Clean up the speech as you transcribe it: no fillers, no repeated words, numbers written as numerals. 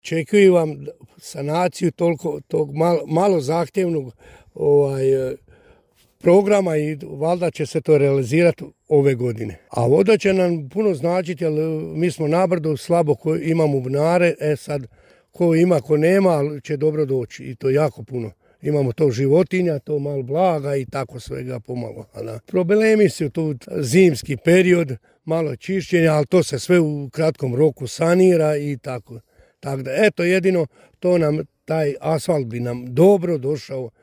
Očekuju vam sanaciju tog malo zahtjevnog programa i valjda će se to realizirati ove godine. A voda će nam puno značiti, jer mi smo nabrdo slabo imamo bunare, sad ko ima, ko nema, ali će dobro doći i to jako puno. Imamo to životinja, to malo blaga i tako svega pomalo. Problemi su tu zimski period, malo čišćenja, ali to se sve u kratkom roku sanira i tako. Tako da, eto, jedino to nam, taj asfalt bi nam dobro došao